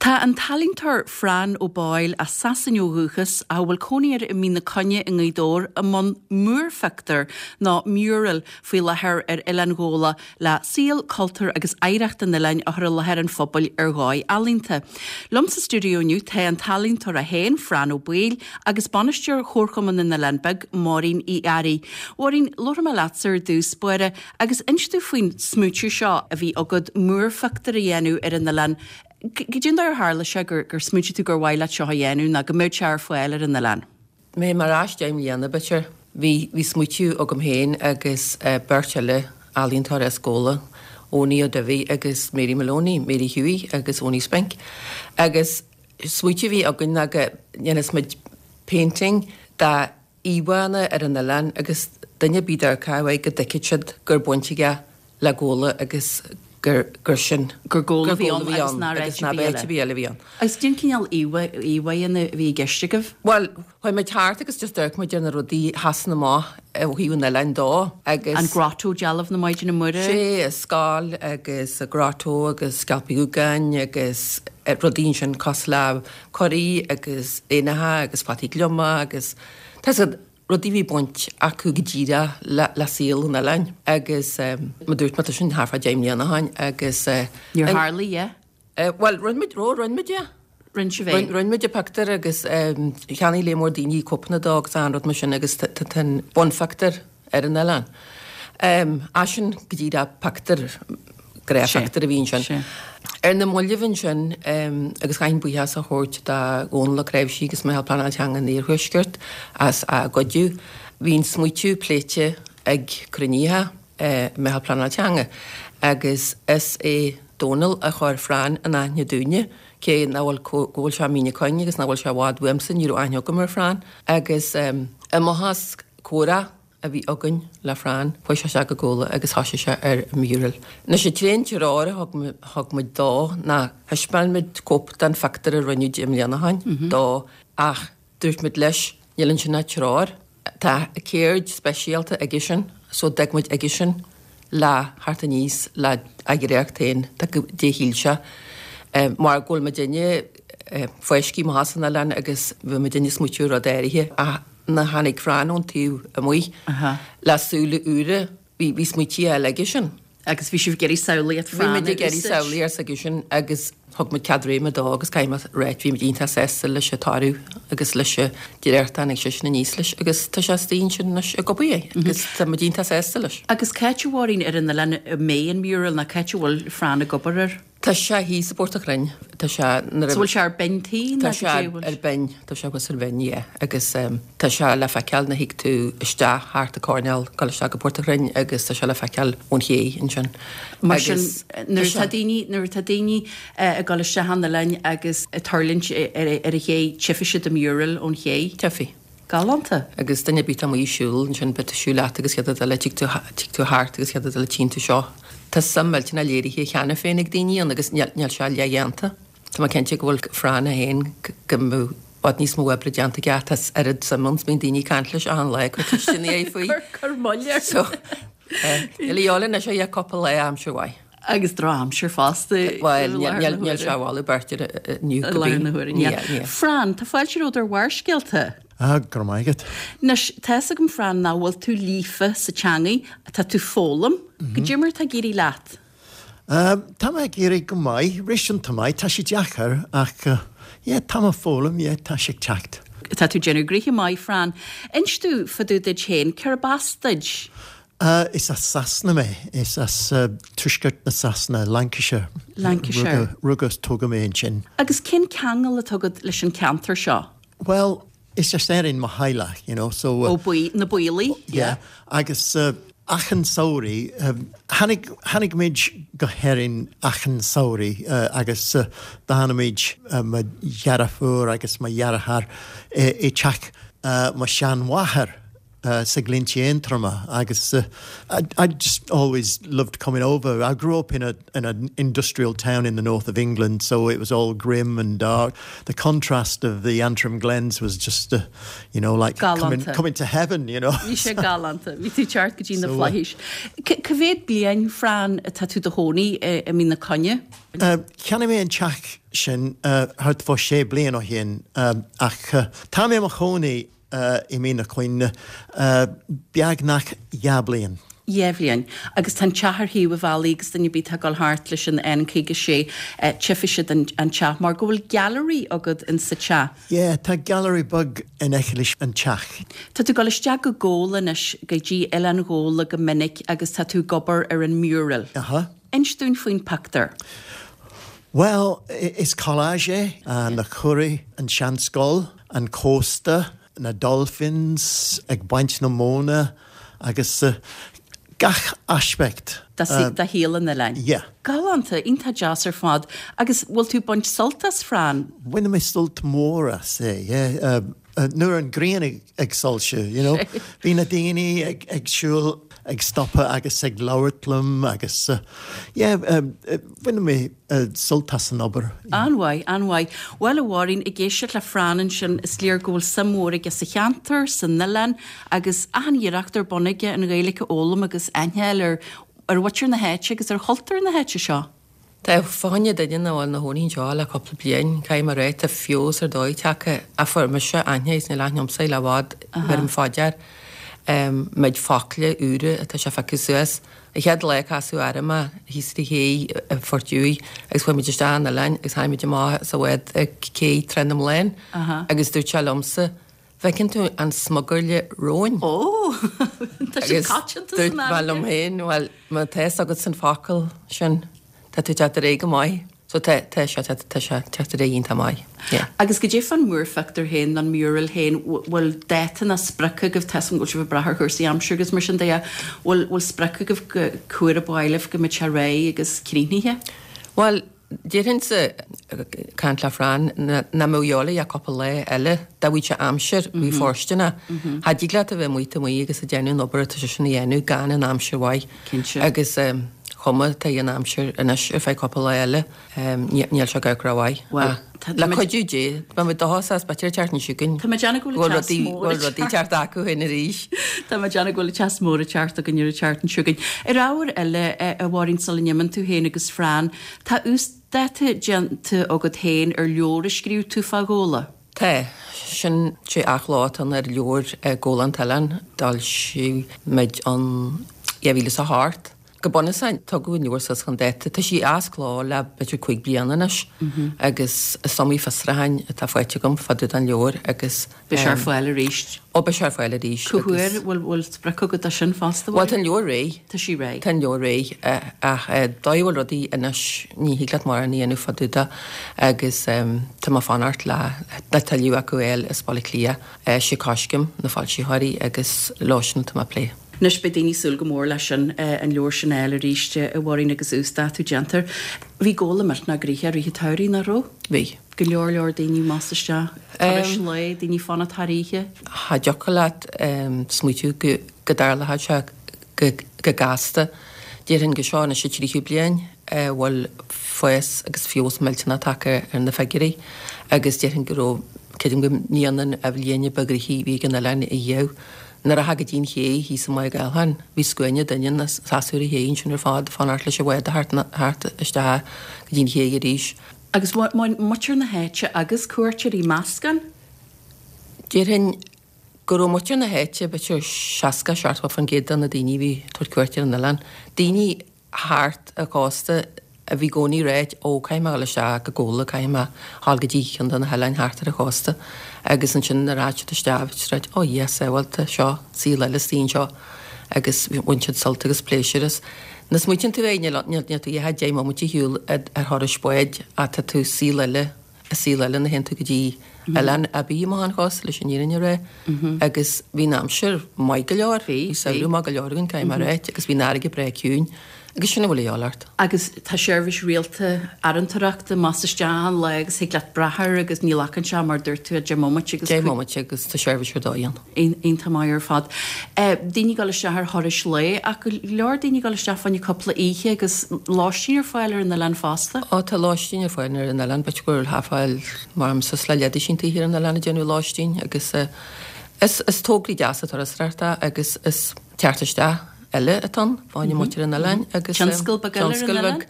Tá an t-ealaíontóir Fran O'Boyle, as Sasain ó dhúchas, ach a bhfuil cónaí air i Mín na Coinne i nGaoth Dobhair, i mbun múrphictiúr nó mural faoi láthair ar Oileán Ghabhla le saol, cultúr agus oidhreacht an oileáin a chur i láthair an phobail ar dhóigh ealaíonta. Liom sa stiúideo inniu tá an t-ealaíontóir é féin, Fran O'Baoill, agus bainisteoir Chomharchumann na nOileán Beag, Máirín Uí Fhearraigh. Mháirín, labharfaidh mé leatsa ar dtús báire Agus inis domh faoin smaoitiú seo a bhí agat múrphictiúr a dhéanamh ar an oileán. Cad é an dóigh ar tharla sé gur gur smaointigh tú gur mhaith leat seo a dhéanamh nó go mbeadh sé ar fáil ar an oileán? Mé mar ais 10 mbliana, b'fhéidir. Bhí bhí smaoitiú agam féin agus beirt eile ealaíontóir as Gabhla, Owenie Ó Duibhir agus Mary Maloney, Mary Hughie agus Owenie Spink. Agus smaoitiú a bhí againn ná go ndéanfas muid painting de íomhánna ar an oileán agus duine ar bith a d'amharcfadh uaidh go dtuigfeadh siad gur baint aige le Gabhla agus gur gur sin gur Gabhla a bhí ann agus nár áit ar bith eile a bhí ann. Agus cén cineál íomhánna a bhí i gceist agaibh? Bhuel, chuaigh muid thart agus just d'amharc muid ar na rudaí a sheasann amach ó thaobh an oileáin dó agus. An Grotto, dealbh na Maighdine Muire. Sé, an scoil agus an Grotto agus Sceilp Uí Dhúgáin agus rudaí ansin cosúil le curaí agus éanacha agus fataí gliomach agus tá 'fhios agat rudaí a bhí baint acu go díreach le saol an oileáin agus mar dúirt mé tá sin thart fá 10 mbliana ó shin agus. Níor tharlaigh, yeah? Bhuel, rinne muid, ó rinne muid é. Rinne sibh é? Rinne muid an pictiúr agus cheannaigh lear mór daoine cóipeanna dó agus achan rud mar sin agus tá an bunphictiúr ar an oileán. Eisean go díreach pictiúr, gnáthphictiúr a bhí ansin. Ar na mallaibh ansin, agus caithfidh buíochas a thabhairt do Dhónal Ó Cnáimhsí agus Meitheal Pleanála Teanga an Iarthuaiscirt as a gcuidiú, bhí an smaoitiú pléite ag cruinnithe Meitheal Pleanála Teanga agus is é Dónal a chuir Fran in aithne dúinne, cé nach bhfuil, go bhfuil sé i Mín na Coinne agus nach bhfuil sé i bhfad uaimse, ní raibh aithne agam ar Fran agus i mbothas comhrá a bhí againn le Fran, chuaigh sé isteach go Gabhla agus thoisigh sé ar an mural. Anois an t-aon treoir a thug muid dó ná thaispeáin muid cóip den phictiúr a rinneadh 10 mbliana ó shin dó ach dúirt muid leis níl ansin ach treoir, tá ceird speisialta aigesean so d'fhág muid aigesean le theacht aníos le a dhréacht féin de goidé a shíl sé mar go bhfuil muidinne fáiscthe amach as an oileán agus bhí muidinne ag smaoitiú ar rud áirithe ach nuair a tháinig Fran ón taobh amuigh le súile úra, bhí bhí smaoití eile aigesean. Agus bhí sibh ag iarraidh samhlaíocht Fran a úsáid. Bhí muid ag iarraidh samhlaíocht s'aigesean agus thug muid cead réime dó agus caithfidh mé a ráit bhí muid iontach sásta leis an toradh agus leis an dréacht a tháinig seisean aníos leis agus tá sé istigh ansin anois ag obair air agus tá muid iontach sásta leis. Agus cá háit a Mháirín ar an oileán a mbeidh an mural nó cá háit a bhfuil Fran ag obair air? Tá sé thíos i bPort a' Chrainn. Tá sé nuair a. So bhfuil sé ar binn tí nó Tá sé ar binn, tá sé thuas ar bhinn, yeah. Agus tá sé le feiceáil nuair a thig tú isteach thart an coirnéal, dul isteach go Port a' Chrainn agus tá sé le feiceáil ón ché ansin. Mar sin, nuair atá daoine, nuair atá daoine ag dul isteach an oileáin agus ag tuirlingt ar an ché, tchífidh siad an mural ón ché. Tchífidh. Galánta. Agus duine ar bith atá amuigh ag siúl ansin, beidh tú ag siúl leat agus chéad rud eile, tig tú, tig tú thart agus chéad rud eile tchíonn tú seo. Tá suim millteanach léirithe cheana féin ag daoine ann agus níl, níl sé leathdhéanta. Tá mé cinnte go bhfuil Fran é féin, go mbeadh i bhfad níos mó oibre déanta aige ach tá oiread suim ann 's bíonn daoine ag caint leis achan lá ag cur ceisteanna air faoi. Cur moill air. So, níl a dhíobháil anois ach cúpla lá aimsir mhaith. Agus drochaimsir fosta. Bhuel, níl sé a mholadh beirt ar inniu go binn. I láthair na huaire, níl. Fran, tá fáilte romhat ar Bharrscéalta. Ah, go raibh maith agat. Anois, tá fhios agam, Fran, nach bhfuil tú líofa sa teangaidh, tá tú foghlaim. Goidé mar atá ag éirí leat? Tá mé ag éirí go maith, réasúnta maith, tá sé deacair ach yeah, tá mé ag foghlaim, yeah, tá sé ag teacht. Tá tú ag déanamh gnoithe maith, Fran. Inis domh fá dtaobh duit féin, cérb as duit? Is as Sasana mé. Is as tuaisceart na Sasana, Lancashire. Lancashire. Rugadh is tógadh mé ansin. Agus cén ceangal atá agat leis an ceantar seo? Bhuel, is as Éirinn mo theaghlach, you know, so. Ó, na Baollaigh, yeah. Agus achan samhraidh, tháinig, tháinig muid go hÉirinn achan samhraidh agus d'fhan muid, mo dheirfiúr agus mo dheartháir, i dteach mo sheanmháthair. Sa Ghlinnte Aontroma agus I I just always loved coming over. I grew up in a in an industrial town in the north of England, so it was all grim and dark. The contrast of the Antrim Glens was just uh, you know like coming, coming to heaven, you know. Bhí sé galánta, bhí tú teacht go dtí na flaithis. Cá mhéad bliain Fran atá tú do chónaí i Mín na Coinne? Cheannaigh mé an teach sin thart fá sé bliain ó shin ach tá mé i mo chónaí i Mín na Coinne beagnach 2 bliain. 2 bhliain. Agus tá an teach ar thaobh an bhealaigh agus duine ar bith atá ag dul thart leis an N56 tchífidh siad an teach mar go bhfuil gallery agat in sa teach. Yeah, tá gallery beag in aice leis an teach. Tá tú ag dul isteach go Gabhla anois, go dtí Oileán Ghabhla go minic agus tá tú ag obair ar an mural. Aha. Inis dúinn faoin pictiúr. Bhuel, is collage é, na curaí, an seanscoil. an cósta, na dolphins ag baint na móna agus gach aspect. de shaol an oileáin. Yeah. Galánta, iontach deas ar fad. Agus bhfuil tú ag baint sult as, Fran? Bhain mé sult mór as é, yeah. Nuair an ghrian ag soilsiú, you know. Bhí na daoine ag siúl, ag stopadh agus ag labhairt liom agus yeah, bhain mé sult as an obair. An-mhaith, an-mhaith. Bhuel, a Mháirín, ag éisteacht le Fran ansin, is léir go bhfuil suim mhór aige sa cheantar, san oileán, agus achan iarracht ar bun aige an Ghaeilge a fhoghlaim agus aithne a fháil ar ar mhuintir na háite agus ar chultúr na háite seo. Tá fá choinne duine ina bhfuil ina chónaí anseo le cúpla bliain, caithfidh mé a rá, tá feabhas ar dóigh tagtha ach fuair mise aithne agus níl aithne agamsa le i bhfad, bheirim fá dear méid focla úra atá sé a phiocadh suas. An chéad lá a casadh orm é thíos ar an ché i Phort Dhiúigh agus chuaigh muid isteach an oileáin agus tháinig muid amach sa bhád ag cé Trá na mBláthann agus dúirt sé liomsa, 'Bhfeiceann tú an smugairle róin? Ó! Tá sé coitianta san Dúirt mé liom féin, bhuel, má tá fhios agat an focal sin, tá tú ag teacht ar aghaidh go maith. So tá, tá sé, tá, tá sé ag teacht ar aghaidh iontach maith. Yeah. Agus goidé fán múrphictiúr féin, an mural féin, bhfuil dáta ná sprioc agaibh, tá 'fhios a'm go bhfuil sibh ag brath ar chúrsaí aimsire agus mar sin de, bhfuil, bhfuil sprioc agaibh go cá huair ab áil libh go mbeidh sé réidh agus críochnaithe? Bhuel, déarfainnse, ag caint le Fran, nach mbeadh a dhíobháil ach cúpla lá eile, dá bhfaigheadh sé aimsir, bhí fóirsteanach. Cha dtig leat a bheith amuigh taobh amuigh agus ag déanamh an obair atá seisean a dhéanamh gan an aimsir mhaith. Cinnte. Agus chuma atá an aimsir anois ar feadh cúpla lá eile, níl sé ag amharc rómhaith. Bhuel, tá Le cuidiú Dé, beidh muid dóchasach, b'fhéidir an tseachtain seo chugainn. Tá mé ag déanamh go bhfuil an teas mór ag teacht. Go bhfuil rudaí ag teacht acu féin arís. Tá mé ag déanamh go bhfuil an teas mór ag teacht againn ar an tseachtain seo chugainn. Ar ábhar eile, a Mháirín, sula n-imíonn tú féin agus Fran, tá uasdáta déanta agat féin ar leabhar a scríobh tú fá Ghabhla. Tá. Sin sé athchló atá ann ar leabhar Gabhla an t-Oileán, d'fhoilsigh muid in 2008. Go bunúsach, tugadh an leabhar suas chun dáta. Tá sí as cló le b'fhéidir 5 bliana anois agus is iomaí fiosrúchán atá faighte agam fá dtaobh den leabhar agus. Beidh sé ar fáil arís. Ó, beidh sé ar fáil arís Cá huair? Bhfuil bhfuil sprioc agat dó sin fosta? Bhuel, tá an leabhar réidh. Tá sí réidh. Tá an leabhar réidh ach dóigh a bhfuil rudaí anois ní thig leat mórán a dhéanamh fá dtaobh de agus tá mé ag fanacht le le toiliú acu a fháil as Baile Átha Cliath. Sé Coiscéim na foilsitheoirí agus leo sin atá mé ag plé. Anois beidh daoine ag súil go mór leis sin, an leabhar sin a fháil arís, a Mháirín agus uasdátú déanta air. Bhí Gabhla millteanach gnoitheach i rith an tsamhraidh, nach raibh? Bhí. Go leor leor daoine amach is isteach, turais lae, daoine ag fanacht thar oíche. Cha dtiocfadh leat smaoitiú go dtarlódh sé go gasta. Déarfainn go seo anois an tríú bliain a bhfuil fás agus feabhas millteanach tagtha ar na figiúirí agus déarfainn go raibh, creidim go mbliana an bhliain ba ghnoithí a bhí ag an oileán ariamh. Nuair a rachfá go dtí an ché thíos i Maigh Gallcháin, bhí scuaine duine ina seasamh ar an ché ansin ar fad, ag fanacht leis an bhád a theacht isteach go dtí an ché arís. Agus muintir na háite agus cuairteoirí, meascán? Déarfainn go raibh muintir na háite, b'fhéidir 60, 70% de na daoine a bhí ag tabhairt cuairt ar an oileán, daoine thart an chósta a bhí i gcónaí ag ráit, ó, caithfidh mé a dhul isteach go Gabhla, caithfidh mé a dhul go dtí ceann de na hoileáin thart ar an chósta. Agus ansin nuair a rachadh siad isteach, bhí siad ag ráit, ó yes, bhuel tá seo, saol eile istigh anseo. Agus bhain siad sult agus pléisiúr as. Nuair a smaoitíonn tú air, níl níl tú ach deich mbomaite ar shiúl ar thuras báid ach tá tú saol eile, i saol eile nuair a théann tú go dtí oileán ar bith amach an chósta leis an fhírinne a rá. Agus bhí an aimsir maith go leor, bhí samhradh maith go leor againn, caithfidh mé a ráit, agus bhí an fharraige breá ciúin. Agus sin a bhfuil a dhíobháil ort. Agus tá seirbhís rialta fharantóireachta amach is isteach achan lá agus thig leat brath air agus ní ghlacann sé mar dúirt tú 10 mbomaite agus 10 mbomaite agus tá seirbhís ar dóigh ann. Iontach maith ar fad. Daoine ag dul isteach ar thurais lae ach go leor daoine ag dul isteach fá choinne cúpla oíche agus lóistín ar fáil ar an oileán fosta. Ó tá lóistín ar fáil ar an oileán, b'fhéidir go bhfuil thart fá mar suas le leathdhosaen tithe ar an oileán ag déanamh lóistín agus is is tograí deasa turasóireachta agus is teacht isteach eile atá ann fá choinne muintir an oileáin agus Tionscal beag eile ar an oileán?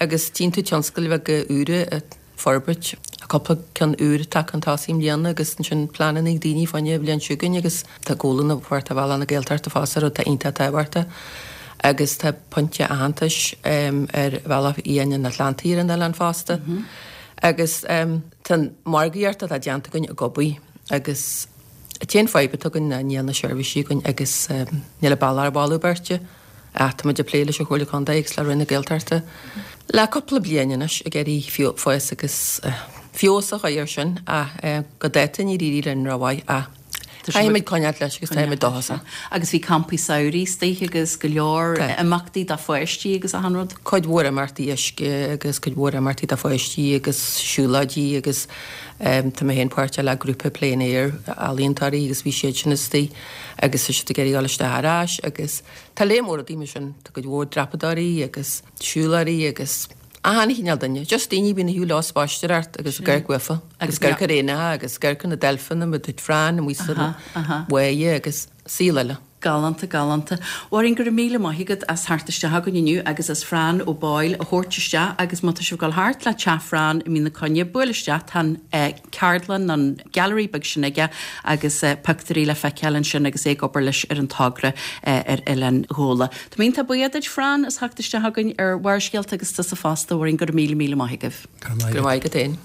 Agus tchíonn tú tionscail bheaga úra ag forbairt, tá cúpla ceann úr tagtha chun tosaigh i mbliana agus ansin pleananna ag daoine fá choinne an bhliain seo chugainn agus tá Gabhla na páirt ar Bhealach na Gaeltachta fosta, rud atá iontach tábhachtach agus tá pointe aitheantais ar Bhealach Fhiáin an Atlantaigh ar an oileán fosta agus tá an margaíocht atá déanta againn ag obair agus an t-aon fadhb atá againn ná níl na seirbhísí againn agus níl an bealach ar bhailiú beirte. Ach tá muid ag plé leis an Chomhairle Contae agus le Roinn na Gaeltachta le cúpla bliain anois ag iarraidh fás agus feabhas a chur air sin ach go dáta níor éirigh linn rómhaith ach caithfimid coinneáil leis agus táimid dóchasach. Agus bhí campaí samhraidh istigh agus go leor imeachtaí do pháistí agus achan rud. Cuid mhór imeachtaí uisce agus cuid mhór imeachtaí do pháistí agus siúlóidí agus tá mé féin páirteach le grúpa plein air ealaíontóirí agus bhí siad sin istigh agus tá siad ag iarraidh dul isteach ar ais agus Tá lear mór rudaí mar sin, tá cuid mhór dreapadóirí agus siúlóirí agus achan chineál duine, just daoine a bhíonn ag shiúl leo ag spaisteoireacht agus ag amharc uafa agus ag amharc ar éanacha agus ag amharc ar na deilfeanna mar dúirt Fran amuigh sa bháighe agus saol eile. Galánta, galánta. Mháirín, go raibh míle maith agat as theacht isteach chugainn inniu agus as Fran Ó Baoill a thabhairt isteach agus má tá sibh ag dul thart le teach Fran i Mín na Coinne, buail isteach, tá an ceardlann, an gallery beag sin aige agus pictiúirí le feiceáil ansin agus é ag obair leis ar an togra ar Oileán Ghabhla. Tá mé iontach buíoch duit, Fran, as theacht isteach chugainn ar Bharrscéalta agus tusa fosta, a Mháirín, go raibh míle, míle maith agaibh. Go raibh maith agat féin.